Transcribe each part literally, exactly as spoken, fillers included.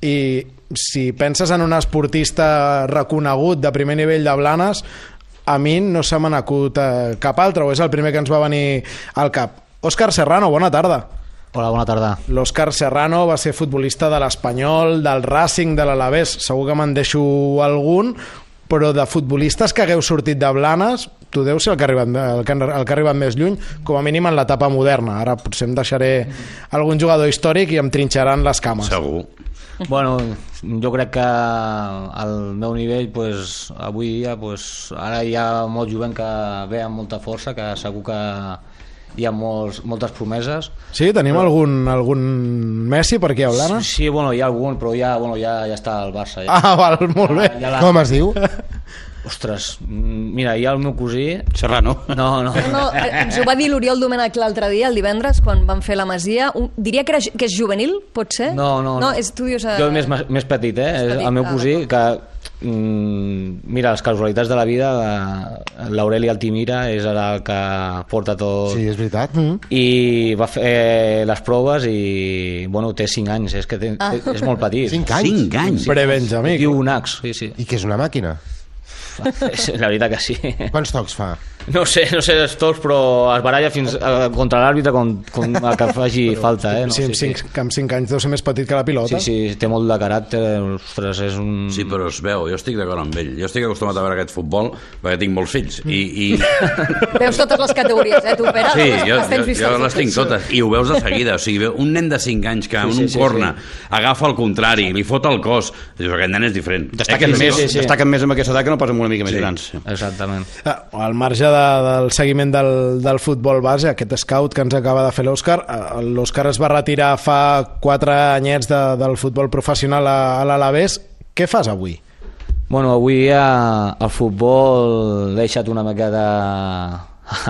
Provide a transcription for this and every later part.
i si penses en un esportista reconegut de primer nivell de Blanes, a mi no se m'ha acut eh, cap altre, o és el primer que ens va venir al cap. Òscar Serrano, bona tarda. Hola, bona tarda. L'Òscar Serrano va ser futbolista de l'Espanyol, del Racing, de l'Alavés, segur que me'n deixo algun, però de futbolistes que hagueu sortit de Blanes, tu deus ser el que ha arribat, el que, el que ha arribat més lluny, com a mínim en l'etapa moderna. Ara potser em deixaré algun jugador històric i em trinxaran les cames. Segur. Bueno, jo crec que al meu nivell, pues, avui dia, pues, ara hi ha molt jovent que ve amb molta força, que segur que hi ha molts, moltes promeses. Sí, tenim però... algun, algun Messi per aquí a Blanes? Sí, sí, bueno, hi ha algun, però ja, bueno, ja, ja està al Barça. Ja. Ah, val, molt bé. Ja, ja la... Com es diu? Ostres, mira, hi ha el meu cosí... Serrano. No, no. no ens ho va dir l'Oriol Domènech l'altre dia, el divendres, quan van fer la Masia. Un, diria que, era, que és juvenil, pot ser? No, no. no és, tu dius, uh... Jo més, més petit, eh? Més petit. El meu cosí, ah, que mm, mira, les casualitats de la vida, l'Aureli Altimira és ara el que porta tot. Sí, és veritat. Mm. I va fer les proves i, bueno, té cinc anys, és que té, ah. és molt petit. cinc anys? cinc anys? Sí. Pre-Benjamí. Diu un ax, sí, sí. I que és una màquina? La veritat que sí. Quants tocs fa? No sé, no sé els tocs, però es baralla fins a, contra l'àrbitre com, com a que faci però, falta, eh? No? Sí, amb, sí, cinc, sí. amb cinc anys deu ser més petit que la pilota. Sí, sí, té molt de caràcter, ostres, és un... Sí, però es veu, jo estic d'acord amb ell. Jo estic acostumat a veure aquest futbol perquè tinc molts fills. I, i... Veus totes les categories, eh, tu, Pere? Sí, jo, jo, jo les tinc totes. I ho veus de seguida. O sigui, un nen de cinc anys que en sí, sí, un sí, corna sí. agafa el contrari, li fot el cos, dius, aquest nen és diferent. Destaquen, eh, més, sí, sí. destaquen més amb aquesta edat que no pas amb una mica més sí. grans. Sí. Exactament. Al marge de, del seguiment del, del futbol base, aquest scout que ens acaba de fer l'Òscar, l'Òscar es va retirar fa quatre anyets de, del futbol professional a, a l'Alavés. Què fas avui? Bueno, avui ja el futbol l'he deixat una miqueta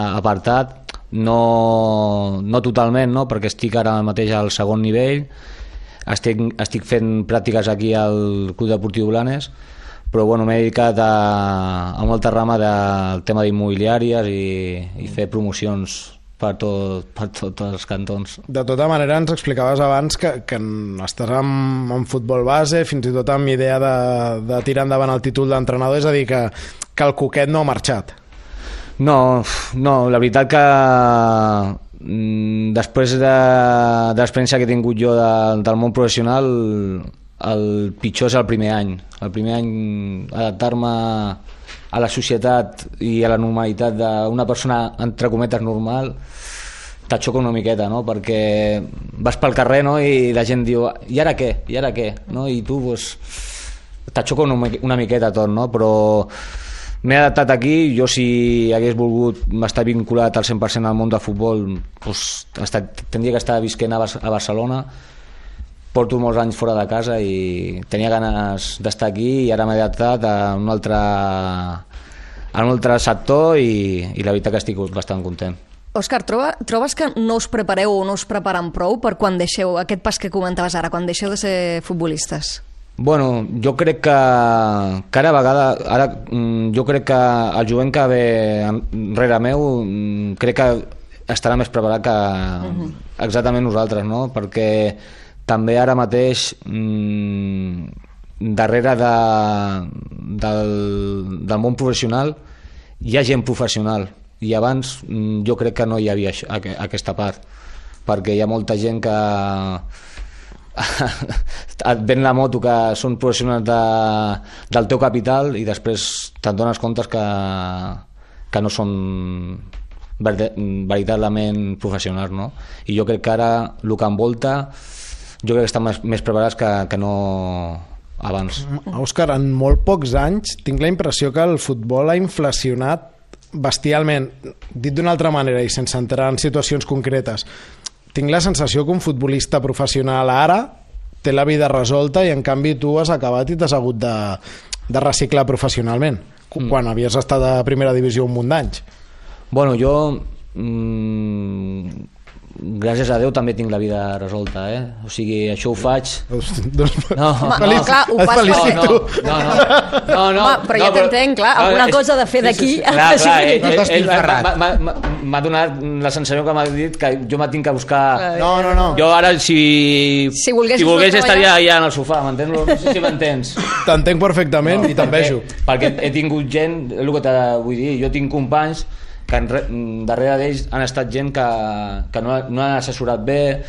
apartat, no, no totalment, no? Perquè estic ara mateix al segon nivell, estic, estic fent pràctiques aquí al Club Deportiu Blanes, però bueno, m'he dedicat a, a molta rama del tema d'immobiliàries i, i fer promocions per, tot, per tots els cantons. De tota manera, ens explicaves abans que, que estàs en, en futbol base, fins i tot amb idea de, de tirar endavant el títol d'entrenador, és a dir, que, que el Cuquet no ha marxat. No, no, la veritat que després de, de l'experiència que he tingut jo de, del món professional, el pitjor és el primer any. El primer any adaptar-me a la societat i a la normalitat d'una persona, entre cometes, normal, t'aixoca una miqueta, no? Perquè vas pel carrer, no? I la gent diu, i ara què? I ara què? No? I tu, pues, t'aixoca una, una miqueta tot, no? Però m'he adaptat aquí. Jo, si hagués volgut estar vinculat al cent per cent al món del futbol, pues, estat, tindria que estar visquent a, a Barcelona. Porto molts anys fora de casa i tenia ganes d'estar aquí i ara m'he adaptat a un altre, a un altre sector i, i la veritat que estic bastant content. Òscar, troba, trobes que no us prepareu o no us preparen prou per quan deixeu aquest pas que comentaves ara, quan deixeu de ser futbolistes? Bueno, jo crec que cada vegada, ara jo crec que el jovent que ve rere meu crec que estarà més preparat que uh-huh. exactament nosaltres, no? Perquè també ara mateix mmm, darrere de, del, del món professional hi ha gent professional i abans mmm, jo crec que no hi havia això, aquesta part, perquè hi ha molta gent que et ven la moto que són professionals de, del teu capital i després te'n dones comptes que, que no són veritablement professionals, no? I jo crec que ara el que envolta jo crec que estan més, més preparats que, que no abans. Òscar, en molt pocs anys tinc la impressió que el futbol ha inflacionat bestialment. Dit d'una altra manera i sense entrar en situacions concretes, tinc la sensació que un futbolista professional ara té la vida resolta i en canvi tu has acabat i t'has hagut de, de reciclar professionalment mm. quan havies estat a primera divisió un munt d'anys. Bueno, jo mmm, gràcies a Déu també tinc la vida resolta, eh? O sigui, això ho faig... Doncs, No, Home, no, no, clar, ho et fas felicito. perquè... no, no, no, no, Home, però ja t'entenc, clar, alguna cosa de fer d'aquí. Clar, clar, Sí. ell, No ell, estàs ell m'ha- filferrat. m'ha- m'ha- m'ha donat la sensació que m'ha dit que jo m'ha tinc que buscar... no, no, no. Jo ara, si, Si volguessis si volgués no estaria treballar. allà en el sofà, m'entens? No sé si m'entens. T'entenc perfectament i t'envejo. Perquè he tingut gent, és el que te vull dir, jo tinc companys que en re, darrere d'ells han estat gent que, que no, no han assessorat bé,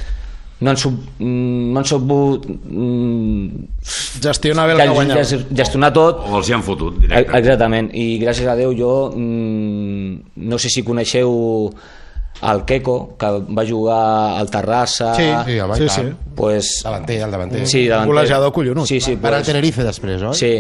no han, sub, no han sabut mm, Gestionar bé el que guanyava. gestionar tot. O els hi han fotut, directe. Exactament, i gràcies a Déu jo mm, no sé si coneixeu el Queco, que va jugar al Terrassa. Sí, Sí, home, sí, i sí. tant. Pues, Davanter, el davanter. sí, davanter. Golejador collonut. Sí, sí, Va anar al pues, Tenerife després, oi? sí,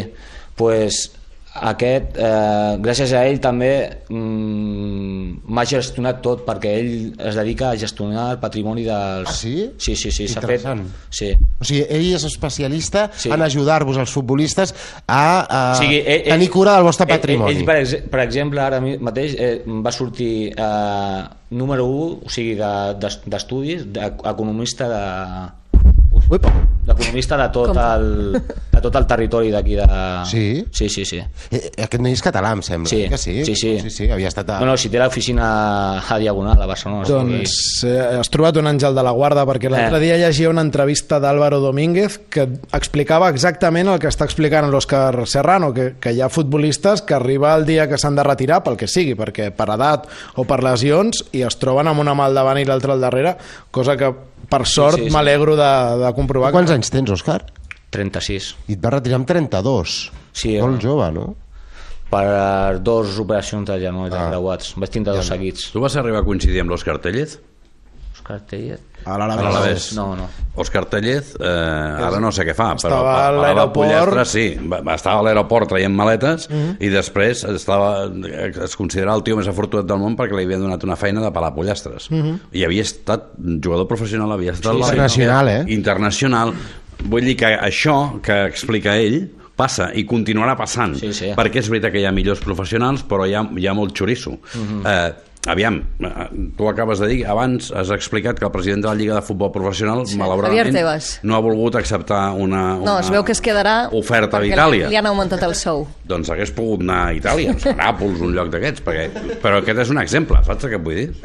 pues, aquest, eh, gràcies a ell també mm, m'ha gestionat tot, perquè ell es dedica a gestionar el patrimoni dels... Ah, sí? Sí, sí, sí, s'ha fet... Interessant. Sí. O sigui, ell és especialista Sí. en ajudar-vos, els futbolistes, a, a O sigui, ell, tenir cura del vostre ell- patrimoni. Ell, per, ex per exemple, ara mi- mateix eh, va sortir eh, número u, o sigui, de- d'es- d'estudis, d'economista de... Uip. d'economista de tot Com? el de tot el territori d'aquí de... Sí? Sí, sí, sí. Eh, Aquest noi és català, em sembla. Sí, que sí? sí, sí. sí, sí havia estat a... No, no, si té l'oficina a Diagonal, a Barcelona. Doncs eh, has trobat un àngel de la guarda, perquè l'altre Eh. dia llegia una entrevista d'Álvaro Domínguez que explicava exactament el que està explicant l'Òscar Serrano, que, que hi ha futbolistes que arriba el dia que s'han de retirar pel que sigui, perquè per edat o per lesions, i es troben amb una mà al davant i l'altra al darrere, cosa que per sort sí, sí. m'alegro de, de comprovar. Quants que... anys tens, Òscar? trenta-sis. I et vas retirar amb trenta-dos. Sí, Molt home. jove, no? Per dos operacions de genoll Ah. creuats. Vaig tindre dos seguits. Tu vas arribar a coincidir amb l'Òscar Tellez? Òscar Tellez? A A l'Alavés. l'Alavés. No, no. Òscar Tellez, eh, ara no sé què fa, però Estava a a la l'aeroport. Pollastre sí, va, va estar a l'aeroport traient maletes i després estava, es considerava el tio més afortunat del món perquè li havien donat una feina de pelar pollastres. I havia estat jugador professional, havia estat... Sí, a la- internacional, eh? Internacional. Vull dir que això que explica ell passa i continuarà passant, Sí, sí. perquè és veritat que hi ha millors professionals, però hi ha, hi ha molt xoriço. eh, aviam, eh, tu acabes de dir, abans has explicat que el president de la Lliga de Futbol Professional, Sí, malauradament, Javier Tebas. no ha volgut acceptar una, una No, es veu que es quedarà oferta perquè d'Itàlia. li han augmentat el sou. Doncs hagués pogut anar a Itàlia, a Nàpols, un lloc d'aquests, perquè... però aquest és un exemple, saps què et vull dir?